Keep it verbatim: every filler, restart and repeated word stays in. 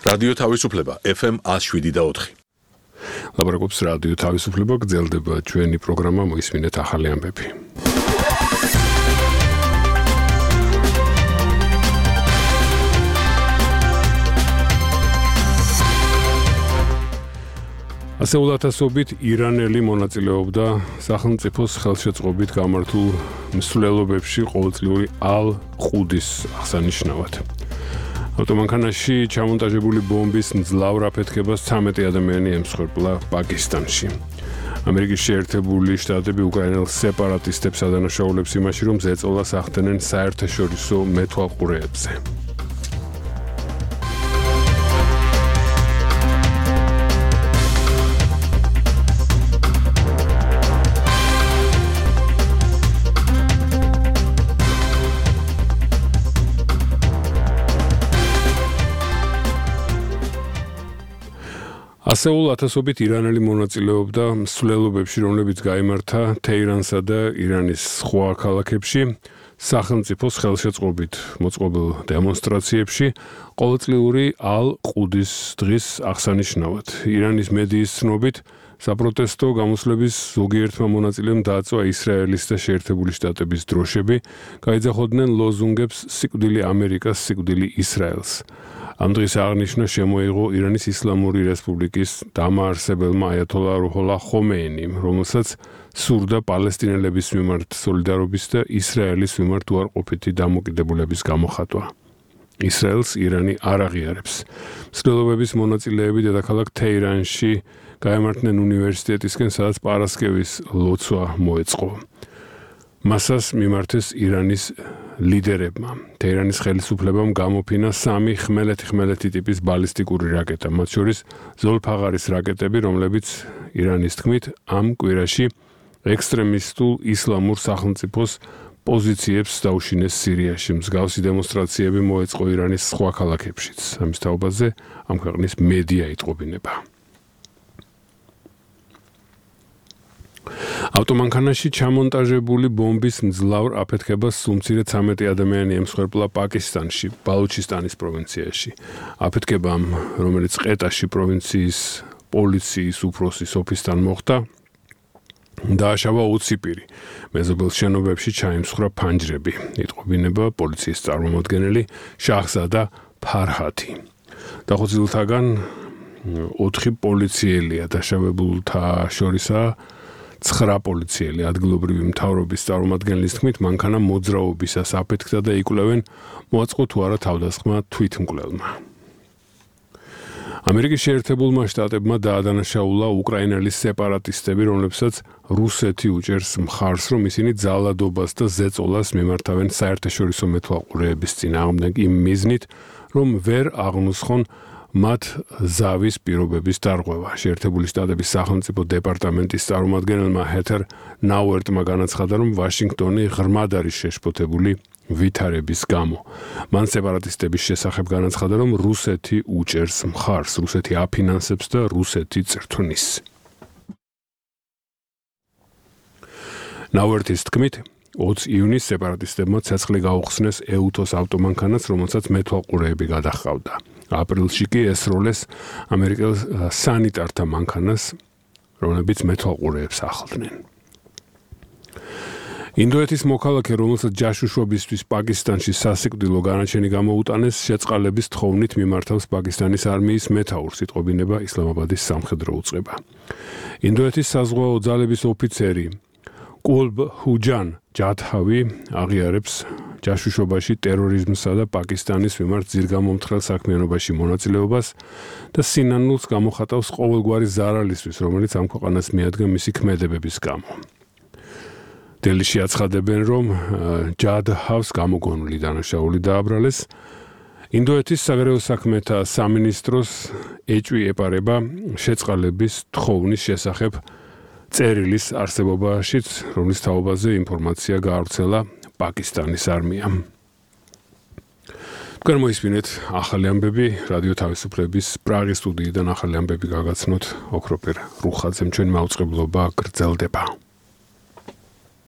რადიო თავისუფლება F M one oh seven და four. ლაპარაკობს რადიო თავისუფლება, გრძელდება ჩვენი პროგრამა, მოისმინეთ ახალი ამბები. ასეულათასობით ირანელი მონაწილეობდა სახელმწიფოს ხელშეწყობით გამართულ მსვლელობებში ყოველწლიური ალ-ყუდის აღსანიშნავად. ავტომანქანაში ჩამონტაჟებული ბომბის მძლავრ აფეთქებას ცამეტი ადამიანი ემსხვერპლა პაკისტანში. ამერიკის შეერთებული შტატები უკრაინელ სეპარატისტებს ადანაშაულებს იმაში, რომ ზეწოლას ახდენენ საერთაშორისო მეთვალყურეებზე. ასეულ ათასობით ირანელი მონაწილეობდა მსვლელობებში, რომლებიც გაიმართა თეირანსა და ირანის სხვა ქალაქებში, სახელმწიფოს ხელშეწყობით მოწყობილ დემონსტრაციებში, ყოველწლიური ალ-ყუდის დღის აღსანიშნავად. ირანის მედიის ცნობით, საპროტესტო გამოსვლების ზოგიერთმა მონაწილემ დააწვა ისრაელის და შეერთებული შტატების დროშები, გაიძახოდნენ ლოზუნგებს სიკვდილი ამერიკას, სიკვდილი ისრაელს. ამ დღის აღნიშვნა შემოიღო ირანის ისლამური რესპუბლიკის დამაარსებელმა აიათოლა რუჰოლა ხომეინიმ, რომელსაც სურდა პალესტინელების მიმართ სოლიდარობის და ისრაელის მიმართ უარყოფითი დამოკიდებულების გამოხატვა. ისრაელს ირანი არ აღიარებს. მსვლელობების მონაწილეები დედაქალაქ თეირანში გაემართნენ უნივერსიტეტისკენ, სადაც პარასკევის ლოცვა მოეწყო. მასას მიმართეს ირანის ლიდერებმა. თეირანის ხელისუფლებამ გამოფინა სამი ხმელეთი-ხმელეთი ტიპის ბალისტიკური რაკეტა, მათ შორის ზოლფაღარის რაკეტები, რომლებიც ირანის თქმით ამ კვირაში ექსტრემისტულ ისლამურ სახელმწიფოს პოზიციებს დაუშინეს სირიაში. მსგავსი დემონსტრაციები მოეწყო ირანის სხვა ქალაქებშიც. ამის თაობაზე ამ ქვეყნის მედია იტყობინება. ავტომანქანაში ჩამონტაჟებული ბომბის მძლავრ აფეთქებას სულ მცირე ცამეტი ადამიანი ემსხვერპლა პაკისტანში, ბალუჩისტანის პროვინციაში. აფეთქებამ, რომელიც ყეტაში პროვინციის პოლიციის უფროსის ოფისთან მოხდა, დააშავა ოცი პირი. მეზობელ შენობებში ჩაიმსხვრა ფანჯრები. იტყობინება პოლიციის წარმომადგენელი შაჰზადა ფარჰათი. დახოცილთაგან ოთხი პოლიციელია, დაშავებულთა შორისაა ცხრა პოლიციელი. ადგილობრივი მთავრობის წარმომადგენლის თქმით, მანქანა მოძრაობისას აფეთქდა და იკვლევენ, მოაწყო თუ არა თავდასხმა თვითმკვლელმა. ამერიკის შეერთებულმა შტატებმა დაადანაშაულა უკრაინელი სეპარატისტები, რომლებსაც რუსეთი უჭერს მხარს, რომ ისინი ძალადობას და ზეწოლას მიმართავენ საერთაშორისო მეთვალყურეების წინააღმდეგ იმ მიზნით, რომ ვერ აღნუსხონ მათ ზავის პირობების დარღვევა. შეერთებული შტატების სახელმწიფო დეპარტამენტის წარმომადგენელმა ჰეთერ ნაუერტმა განაცხადა, რომ ვაშინგტონი ღრმად არის შეშფოთებული ვითარების გამო. მან სეპარატისტების შესახებ განაცხადა, რომ რუსეთი უჭერს მხარს, რუსეთი აფინანსებს და რუსეთი წრთვნის. ნაუერტის თქმით, ოცი ივნისს სეპარატისტებმა ცეცხლი გაუხსნეს ეუთოს ავტომანქანას, რომელსაც მეთვალყურეები გადაჰყავდა. აპრილში კი ესროლეს ამერიკელ სანიტართა მანქანას, რომლებიც მეთვალყურეებს ახლდნენ. ინდოეთის მოქალაქე, რომელსაც ჯაშუშობისთვის პაკისტანში სასიკვდილო განაჩენი გამოუტანეს, შეწყალების თხოვნით მიმართავს პაკისტანის არმიის მეთაურს, იტყობინება ისლამაბადის სამხედრო უწყება. ინდოეთის საზღვაო ძალების ოფიცერი კულბ ჰუჯან ჯათჰავი აღიარებს ჯაშუშობაში ტერორიზმსა და პაკისტანის მიმართ ძირგამომთხრელ საქმიანობაში მონაწილეობას და სინანულს გამოხატავს ყოველგვარი ზარალისთვის, რომელიც ამ ქვეყანას მიადგა მისი ქმედებების გამო. დელიში აცხადებენ, რომ ჯადჰავს გამოგონილი დანაშაული დააბრალეს. ინდოეთის საგარეო საქმეთა სამინისტროს ეჭვი ეპარება შეწყალების თხოვნის შესახებ წერილის არსებობაშიც, რომლის თაობაზე ინფორმაცია გაავრცელა პაკისტანის არმიამ. თქვენ მოისმინეთ ახალი ამბები რადიო თავისუფლების პრაღის სტუდიიდან ახალი ამბები გაგაცნოთ ოქროპერ რუხაძემ. ჩვენი მაუწყებლობა გრძელდება.